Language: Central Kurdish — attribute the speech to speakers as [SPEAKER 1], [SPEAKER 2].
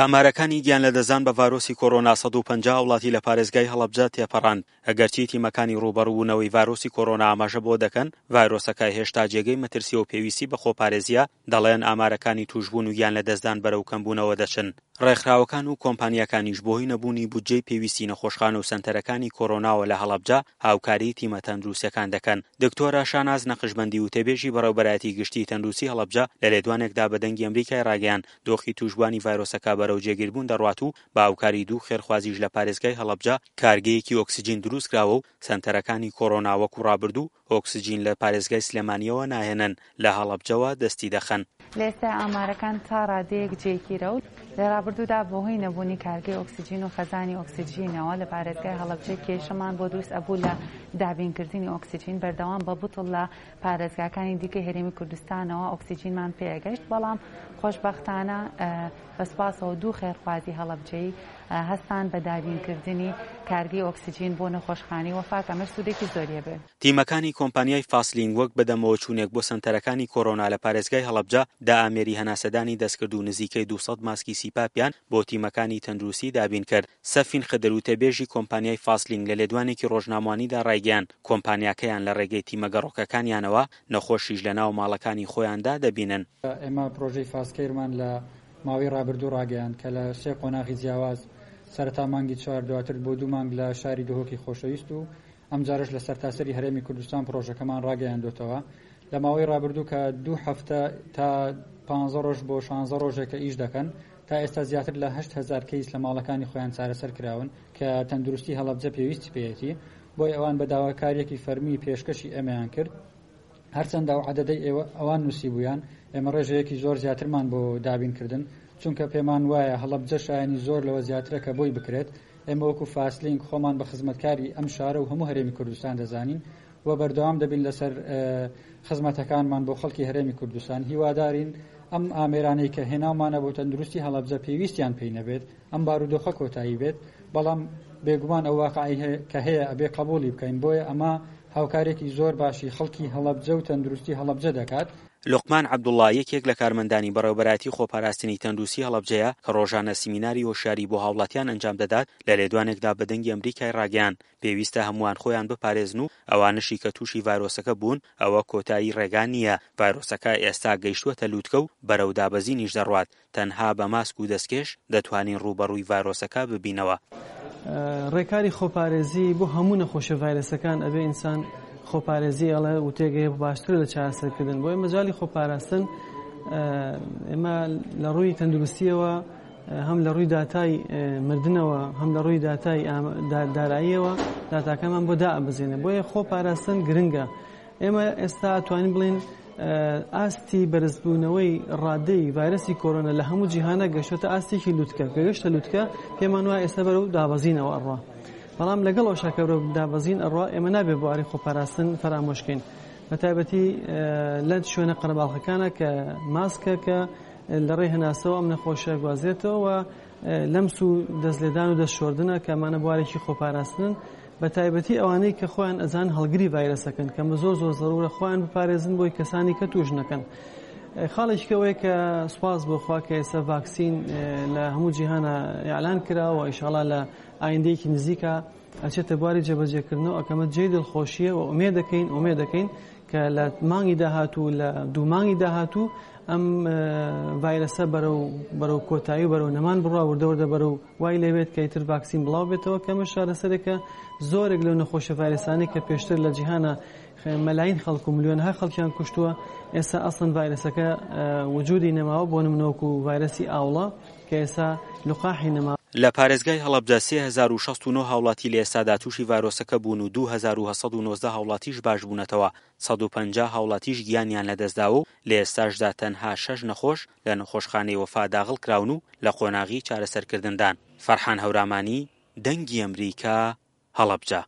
[SPEAKER 1] ئامارەکانی گیانلەدەستدان بە ڤایرۆسی کۆرۆنا 150 هاوڵاتی لە پارێزگای هەڵەبجە تێپەڕاند، ئەگەرچی تیمەکانی ڕووبەڕووبوونەوەی ڤایرۆسی کۆرۆنا ئاماژە بەوە دەکەن ڤایرۆسەکە هێشتا جێگەی مەترسییە و پێویستی بە خۆپارێزییە، دەڵێن ئامارەکانی تووشبوون و گیانلەدەستدان بەرەو کەمبوونەوە دەچن. ڕێکخراوەکان و کۆمپانیاکانیش بەهۆی نەبوونی بودجەی پێویستی نەخۆشخانە و سەنتەرەکانی کۆرۆناوە لە هەڵەبجە هاوکاریی تیمە تەندروستییەکان دەکەن. دکتۆرە شاناز نەقشبەندی وتەبێژی بەڕێوبەرایەتی گشتیی تەندروستی هەڵەبجە لە لێدوانێکدا بە دەنگی ئەمریکای ڕاگەیاند، دۆخی تووشبووانی ڤایرۆسەکە بەرەو جێگیربوون دەڕوات و بە هاوکاری دوو خێرخوازیش لە پارێزگای هەڵەبجە کارگەیەکی ئۆکسجین دروستکراوە و سەنتەرەکانی کۆرۆنا وەکو ڕابردوو ئۆکسجین لە پارێزگای سلێمانییەوە ناهێنن، لە هەڵەبجەوە دەستی دەخەن.
[SPEAKER 2] لە ئێستای ئامارەکان تا ڕادەیەک جێگیرە و لە ڕابردوودا بەهۆی نەبوونی کارگەی ئۆکسجین و خەزانی ئۆکسجینەوە لە پارێزگای هەڵەبجە کێشەمان بۆ دروست ئەبوو لە دابینکردنی ئۆکسجین بەردەوام بە بتڵ لە پارێزگاکانی دیکەی هەرێمی کوردستانەوە ئۆکسجینمان پێگەشت بەڵام خۆشبەختانە بە سوپاسەوە دوو خێرخوازی هەڵەبجەیی هەستان بە دابینکردنی کارگەی ئۆکسجین بۆ نەخۆشخانەی وەفا کە ئەمەش سوودێکی زۆری هەبێ.
[SPEAKER 1] تیمەکانی کۆمپانیای فاسلینگ وەک بەدەمەوەچوونێک بۆ سەنتەرەکانی کۆرۆنا لە پارێزگای هەڵەبجە، دە ئامێری هەناسەدانی دەستکرد و نزیکەی 200 ماسکی سیپاپیان بۆ تیمەکانی تەندروستی دابینکرد. سەفین خدر وتەبێژی کۆمپانیای فاسلینگ لە لێدوانێکی ڕۆژنامەوانیدا ڕایگەیاند، کۆمپانیاکەیان لە ڕێگەی تیمە گەڕۆکەکانیانەوە نەخۆشیش لەناو ماڵەکانی خۆیاندا دەبینن.
[SPEAKER 3] ئێمە پرۆژەی فاستکەیرمان لە ماوەی ڕابردوو ڕاگەیاند کە لە سێ قۆناغی جیاواز سەرەتا مانگی چوار دواتر بۆ دوو مانگ لە شاری دهۆکی خۆشەویست و ئەمجارەش لە سەرتاسەری هەرێمی کوردستان پرۆژەکەمان ڕاگەیاندۆتەوە لە ماوەی ڕابردوو کە دوو هەفتە تا پانزە ڕۆژ بۆ شانزە ڕۆژێکە ئیش دەکەن تا ئێستا زیاتر لە 8000 کەیس لە ماڵەکانی خۆیان چارەسەر کراون کە تەندروستی هەڵەبجە پێویستی پێیەتی بۆیە ئەوان بە داواکاریەکی فەرمی پێشکەشی ئێمەیان کرد هەرچەندە ئەو عەدەدەی ئێوە ئەوان نووسیبوویان، ئێمە ڕێژەیەکی زۆر زیاترمان بۆ دابین کردن، چونکە پێمان وایە هەڵەبجە شایەنی زۆر لەوە زیاترە کە بۆی بکرێت، ئێمە وەکو فاستلینک خۆمان بە خزمەتکاری ئەم شارە و هەموو هەرێمی کوردستان دەزانین و بەردەوام دەبین لەسەر خزمەتەکانمان بۆ خەڵکی هەرێمی کوردستان، هیوادارین ئەم ئامێرانەی کە هێناومانە بۆ تەندروستی هەڵەبجە پێویستیان پێی نەبێت. ئەم بارودۆخە کۆتایی بێت، بەڵام بێگومان ئەو واقعەی کە هەیە ئەبێ قەبوڵی بکەین، بۆیە ئەمە هاوکارێکی زۆر باشی خەڵکی هەڵەبجە و تەندروستی هەڵەبجە دەکات.
[SPEAKER 1] لوقمان عەبدوڵا یەکێک لە کارمەندانی بەڕێوەبەرایەتی خۆپاراستنی تەندروستی هەڵەبجەیە کە ڕۆژانە سیمیناری هۆشیاری بۆ هاوڵاتیان ئەنجام دەدات، لە لێدوانێکدا بە دەنگی ئەمریکای ڕاگەیاند، پێویستە هەمووان خۆیان بپارێزن و ئەوانەشی کە تووشی ڤایرۆسەکە بوون ئەوە کۆتایی ڕێگا نییە، ڤایرۆسەکە ئێستا گەیشتووەتە لوتکە و بەرەو دابەزینیش دەڕوات، تەنها بە ماسک و دەستکێش دەتوانین ڕووبەڕووی ڤایرۆسەکە ببینەوە.
[SPEAKER 4] ڕێکاری خۆپارێزی بۆ هەموو نەخۆشیە ڤایرەسەکان ئەبێ ئینسان خۆپارێزی ئەڵێ وتێگەیە باشترە لە چارەسەرکردن بۆیە مەجالی خۆپاراستن ئێمە لە ڕووی تەندروستیەوە هەم لە ڕووی داتای مردنەوە هەم لە ڕووی داتای داراییەوە داتاکەمان بۆ دائەبەزێنێ بۆیە خۆپاراستن گرنگە ئێمە ئێستا ئەتوانین بڵێین ئاستی بەرزبوونەوەی ڕادەی ڤایرەسی کۆرۆنا لە هەموو جیهانە گەشتۆتە ئاستێکی لوتکە کە گەشتە لوتکە پێمان وایە ئێستا بەرەو دابەزینەوە ئەڕوا بەڵام لەگەڵ ئەو شاکە بەرەو دابەزین ئەڕوا ئێمە نابێ بواری خۆپاراستن فەرامۆشکەین بە تایبەتی لە شوێنە قەرەباڵخەکانە کە ماسکە کە لە ڕێی هەناسەوە ئەم نەخۆشە گوازرێتەوە لەمس و دەست لێدان و دەست شۆردنە کە ئەمانە بوارێکی خۆپاراستنن بە تایبەتی ئەوانەی کە خۆیان ئەزان هەڵگری ڤایرەسەکەن کە زۆر زۆر زەرورە خۆیان بپارێزن بۆی کەسانی کە توش نەکەن. خاڵێکی کەوەیە کە سوپاس بۆ خوا کە ئێستا ڤاکسین لە هەموو جیهانە ئیعلان کراوە ئیشاڵا لە ئایندەیەکی نزیکە ئەچێتە بواری جێبەجێکردنەوە ئەکەمە جێی دڵخۆشیە و ئومێد دەکەین ئومێد دەکەین کە لە مانگی داهاتوو لە دوو مانگی داهاتوو ئەم ڤایرەسە بەرەو بەرەو کۆتایی و بەرەو نەمان بڕوا وردە وردە بەرەو وای لێبێت کە ئیتر ڤاکسین بڵاو بێتەوە کە ئەمەش چارەسەرێکە زۆرێک لەو نەخۆشە ڤایرەسانەی کە پێشتر لە جیهانە مەلاین خەڵک و ملیۆنەها خەڵکیان کوشتووە ئێستا ئەسڵەن ڤایرەسەکە وجودی نەماوە بۆ نمونە وەکو ڤایرەسی ئاوڵە کە ئێستا لقاحی نەما.
[SPEAKER 1] لە پارێزگای هەڵەبجە 3069 هاوڵاتی لە ئێستادا تووشی ڤایرۆسەکە بوون و 2819 هاوڵاتیش باشبوونەتەوە، 150 هاوڵاتیش گیانیان لەدەستداوە و لە ئێستاشدا تەنها شەش نەخۆش لە نەخۆشخانەی وەفا داغڵکراون و لە قۆناغی چارەسەرکردندان. فەرحان هەورامانی، دەنگی ئەمریکا، هەڵەبجە.